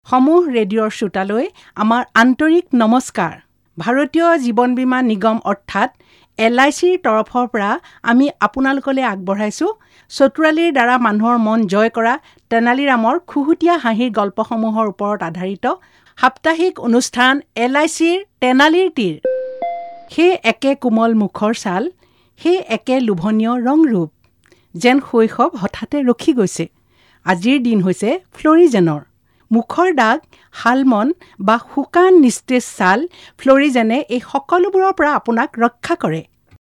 সমূহ ৰেডিঅ'ৰ শ্ৰোতালৈ আমাৰ আন্তৰিক নমস্কাৰ। ভাৰতীয় জীৱন বীমা নিগম অৰ্থাৎ এল I চিৰ তৰফৰ পৰা আমি আপোনালোকলৈ আগবঢ়াইছোঁ চতুৰালিৰ দ্বাৰা মানুহৰ মন জয় কৰা তেনালীৰামৰ খুহুতীয়া হাঁহিৰ গল্পসমূহৰ ওপৰত আধাৰিত সাপ্তাহিক অনুষ্ঠান এল I চিৰ তেনালীৰ তীৰ। সেই একে কোমল মুখৰ ছাল, সেই একে লোভনীয় ৰং ৰূপ, যেন শৈশৱ হঠাতে ৰখি গৈছে। আজিৰ দিন হৈছে ফ্লৰিজেনৰ। মুখৰ দাগ, শালমন বা শুকান নিস্তেজ ছাল, ফ্লৰিজেনে এই সকলোবোৰৰ পৰা আপোনাক ৰক্ষা কৰে।